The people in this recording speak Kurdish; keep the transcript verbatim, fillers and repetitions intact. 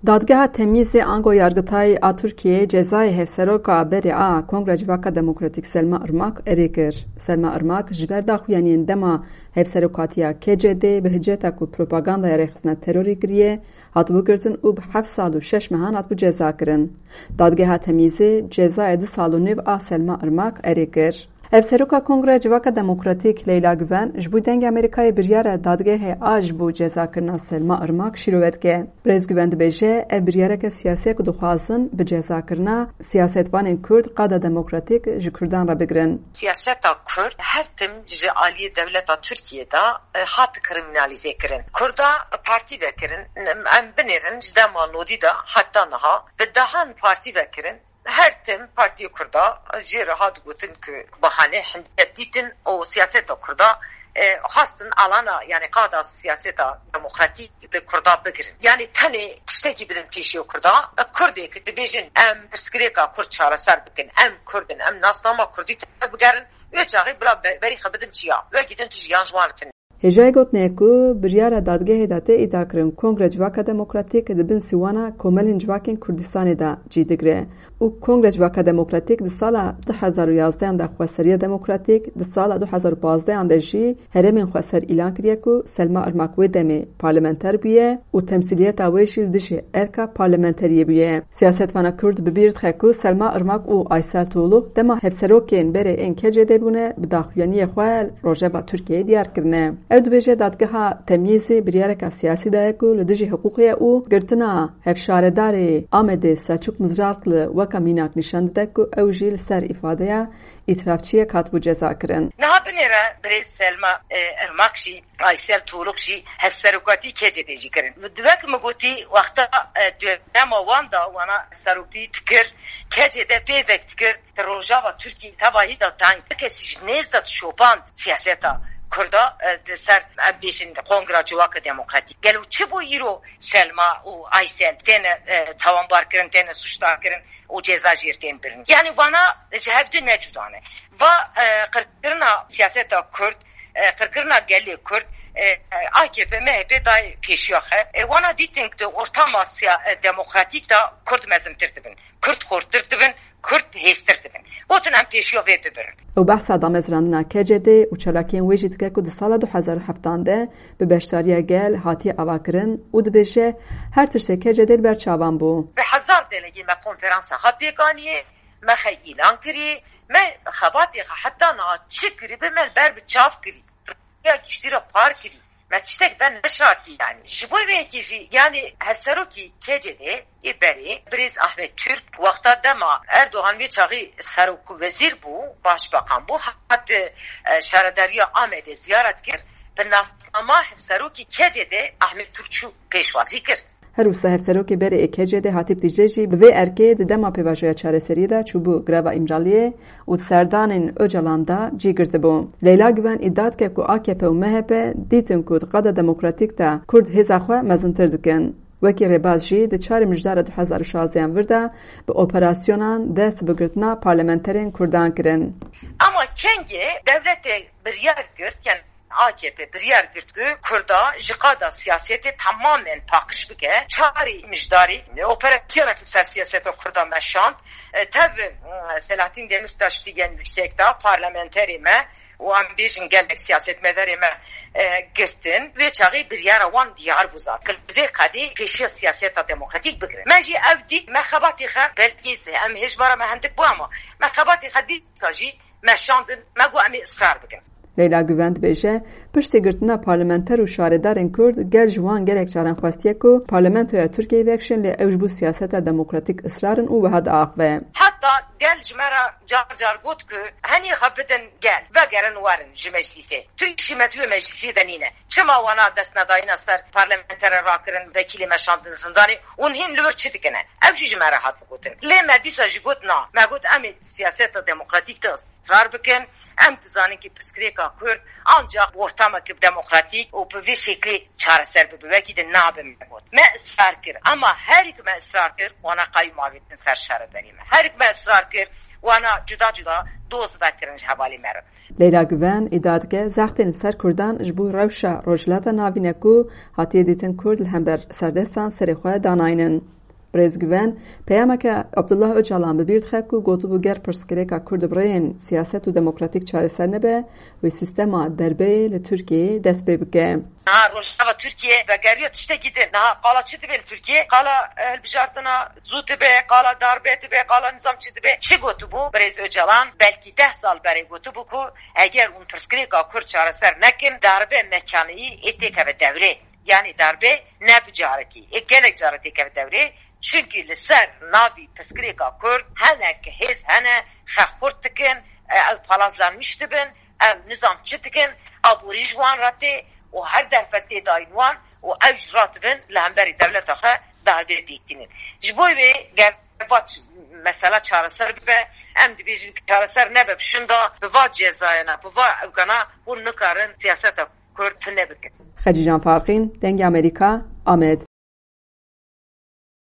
Dadgeha Temyîzê ango Yargitayê a Tirkiyeyê cezayê hevseroka berê a Kongre Civaka Demokratîk Selma Irmak erê kir. Selma Irmak ji ber daxuyaniyên dema hevserokatiya K C D bi hiceta ku propagandaya rêxistina terorê kiriye, hatibû girtin û bi heft sal û şeş mehan hatibû cezakirin. Dadgeha Temyîzê cezayê du sal û nîv a Selma Irmak erê kir. Hevseroka Kongreya Civaka Demokratîk Leyla Guven ji bo Dengê Amerîkayê biryara dadgehê a ji bo cezakirina Selma Irmak şîrove dike. Birêz Guven dibêje, ev biryareke siyasî ye ku dixwazin bi cezakirina siyasetvanên Kurd qada demokratîk ji Kurdan re bigirin. Siyaseta Kurd her tim ji aliyê dewleta Tirkiyê de, e, hat kriminalîze kirin. Kurda partî vekirin, em binêrin ji dema nodî de heta niha bi dehan partî vekirin. Her tim Partiyê Kurda jê re hat gotin ku bahane hindek dîtin û siyaseta Kurda, e, xwestin alana, yani qada siyaseta demokratîk li Kurda bigirin. Yani tenê tiştekî bidin pêşiya Kurda, e, Kurdê ku dibêjin em pirsgirêka Kurd çareser bikin, em Kurd in, em nasnama Kurdî tê bigerin, wê çaxê bila be-, berî xwe bidin çiya, wekî din tu jiyan ji wan re tune. Hêjayê gotinê ye ku biryara dadgehê de tê îdiakirin Kongre Civaka Demokratîk di bin sîwana Komelên Civakên Kurdistanê de cî digire û Kongre Civaka Demokratîk di sala du hezar û yazdehan de xweseriya demokratîk, di sala du hezar û pazdehan de jî herêmên xweser îlan kiriye ku Selma Irmak wê demê parlamenter bûye û temsîliyeta wê jî li dijî erka parlamenteriyê bûye. Siyasetvana Kurd bi bîr dixe ku Selma Irmak û Aysel Tuğluk dema hevserokên berê ên K C D bûne, bi daxuyaniyê xwe li rojeva Tirkiyeyê diyar kirine. Ew dibêje, dadgeha Temyîzê biryareka siyasî daye ku li dijî hiqûqê ye û girtina hevşaredarê Amedê Selçuk Mizratli weke mînak nîşan dide ku ew jî li ser îfadeya îtirafçiyek hatibû cezakirin. Niha binêre birêz Selma, e, Irmak jî Aysel Tuğluk jî hevserokatî K C D jî kirin. Di wek min gotî, wexta, e, dönema wan de wana serokî dikir, K C D pêvek dikir, di rojava Tirkiyê tevahî de teng, kesî ji nêz de dişopand siyaseta Kurda, e, di ser, em bêjin, Kongra Civaka Demokratîk. Gelo çi bû îro Selma û Aysel têne, e, tawanbar kirin, têne sûcdar kirin û ceza jê tên birin? Yani vana ji hev di ne cuda ne. Va, e, qirkirina siyaseta Kurd, e, qirkirina gelê Kurd, e, e, A K P, M H P dayê pêşiya xwe. E, wana dîtin ku di ortama siya-, e, demokratîk de Kurd mezintir dibin, Kurd xurtir dibin, Kurd hêztir dibin. Gotin em pêşiya vê bibirin. Ew behsa damezrandina K C D û çalakiyên wê jî dike ku di sala du hezar û heftan de bi beşdariya gel hatiye avakirin û dibêje, her tiştê K C D li ber çavan bû. Bi hezar delegê me konferansa xwe pêk aniyê, me xwe îlan kirî, me xebatê xwe heta niha çi kirî bi me li ber bi çav kirî. Ya giştî re par kirî. Me tiştek ve neşartî yani. Ji bo vê yekê jî yani hevserokî K C D ê berê birêz Ahmet Türk wexta dema Erdogan vê çaxî serok wezîr bû, başbakan bû, hat, e, şaredariya Amedê ziyaret kir. Bi nasnama hevserokî K C D Ahmet Türk çû pêşwazî kir. Her wisa hevserokê berê ê K C D Hatîp Dîcle jî bi vê erkê di dema pêvajoya çareseriyê de çûbû greva Îmraliyê û di serdanên Ocalan de cî girtibû. Leyla Güven îdia dike ku A K P û M H P dîtin ku di qada demokratîk de Kurd hêza xwe mezintir dikin. Wekî rêbaz jî di çarê Mijdara du hezar û şazdehan vir de bi operasyonan dest bi girtina parlamenterên Kurdan kirin. Ama kengê dewletê biryar girt, yani A K P biryar girt ku Kurda ji qada siyasetê temamen paqij bike. Çarê Mijdarê operasyonekî ser siyaseta Kurda meşand. E, tev, e, Selahattin Demirtaş figen yüksek da parlamenterê me û em bêjin gelek siyasetmedarê me, e, girtin. Vê çaxê biryara wan diyar bû zaten. Vê qadê pêşiya siyaseta demokratîk bigirin. Me jî ev dît, me xebatê xwe belkî em hêjbara me hindik bû ama me xebatê xwe dîsa jî meşandin, me got em ê israr bikin. Leyla Güven dibêje, piştî girtina parlamenter û şaredarên Kurd, gel ji wan gelek caran xwestiye ku parlamentoya Tirkiyeyê vekişin, lê ew ji bo siyaseta demokratîk israr in û wiha diaxive. Heta gel ji me re car car got ku henî xwe bidin gel, vegerin werin ji meclîsê. Tu îşî me di wê meclîsê de nîne. Çima wana destnedayîna ser parlamenterê rakirin, vekîlê me şandin zindanê û hîn li wir çi dikine? Ev jî ji me re hat gotin. Lê me dîsa jî got na. Me got em ê siyaseta demokratîk de israr bikin. Em dizanin ki pirsgirêka Kurd ancak bi ortamekî demokratîk û bi vê şeklê çareser bibe. Wekî din nabe me got. Me israr kir. Ama herî ku me israr kir, wana qeyûm avêtin ser şaredariyê me. Herî ku me israr kir, Wana cuda cuda doz vekirin ji hevalê me re. Leyla Guven îdia dike, zextên li ser Kurdan ji bo rewşa Rojhilata Navîn e ku hatiye dîtin Kurd li hember serdestan serê xwe danaynin. Birêz Guven, peyameke Abdullah Ocalan bi bîr dixe ku gotibû ger pirsgirêka Kurd bi rêyên siyaset û demokratîk çareser nebe, wê sîstema derbeyê li Tirkiyeyê dest pê bike. Niha Rojava Tirkiye vegeriya tiştekî din. Niha qala çi dibe li Tirkiye? Qala, e, hilbijartina zû dibe, qala darbe dibe, qala nizam çi dibe? Çi gotibû Birêz Ocalan? Belkî deh sal berê gotibû ku eger hûn pirsgirêka Kurd çareser nekin, darbe mekaniyî ê têkeve dewrê. Yanî darbe ne bi carekî, ê gelek care têkeve dewrê. Çunkî li ser navî pirsgirêka Kurd hinek hêz hene, xwe xurt dikin, e, ew palazlanmiş dibin, ew nizam çi dikin, aborî ji wan re tê û her derfet tê dayîn wan û ew jî ratibin li hemberî dewleta xwe darbe dîtînin. Ji bo wê ger va ç-, mesela çareser bibe, em dibêjin çareser nebe, bi şunda bi va cezayena, bi va ewkana hûn nikarin siyaseta Kurd tune bikin. Xecîcan Farqîn, Dengê Amerîka, Amed.